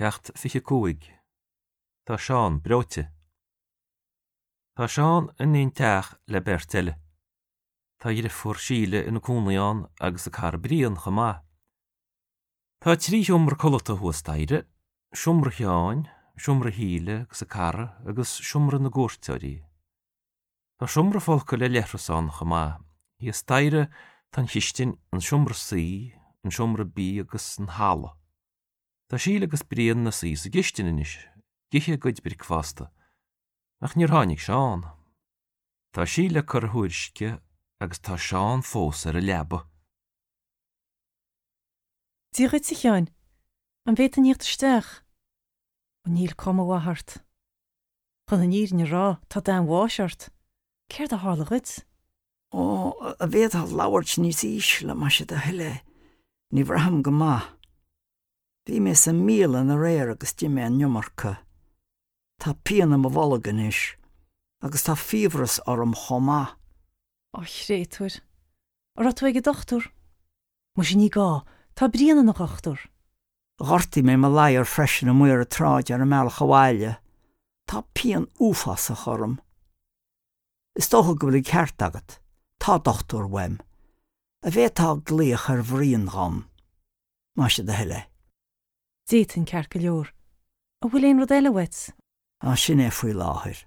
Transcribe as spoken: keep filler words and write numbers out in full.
Ceacht fiche cúig. Tá Seán breoite. Tá Seán in aon teach le beirt eile. Tá a dheirfiúr Síle ina cónaí ann agus a cara Brian chomh maith. Tá trí sheomra codlata thuas staighre, seomra Sheáin, seomra Shíle agus a cara agus seomra na gcuairteoirí. Tá seomra folctha le leithreas ann chomh maith. Thíos staighre tá an chistin, an seomra suí, an seomra bídh agus an halla. Tá Síle agus Brian ina suí sa gcistin anois, ag ithe a gcuid bricfeasta. Ach níor tháinig Seán. Tá Síle ag cur a thuairisce agus tá Seán fós ar an leaba. Dia dhuit, a Sheáin. An bhféadfainn theacht isteach? Ó níl cuma mhaith ort. Chun an fhírinne a rá, tá dath an bháis ort. Céard a tharla dhuit? Ó, an bhféadfá labhairt níos ísle, más é do thoil é. Ní bhraithim go maith. Bhí mé sa mbialann aréir agus d'ith mé an iomarca. Tá pian i mo bholg anois, agus tá fiabhras orm chomh maith. Ó, a chréatúir. An raibh tú ag an dochtúir? Muise ní gá, tá Brian ina dhochtúir. Ghortaigh mé mo ladhar freisin amuigh ar an tsráid ar an mbealach abhaile. Tá pian uafásach orm. Is dócha go bhfuil an ceart agat, tá dochtúir uaim. An bhféadfá glaoch ar Bhrian dhom. Más é do thoil é. D'fhéadfainn ceart go leor. An bhfuil aon rud eile uait? Á sin é faoi láthair.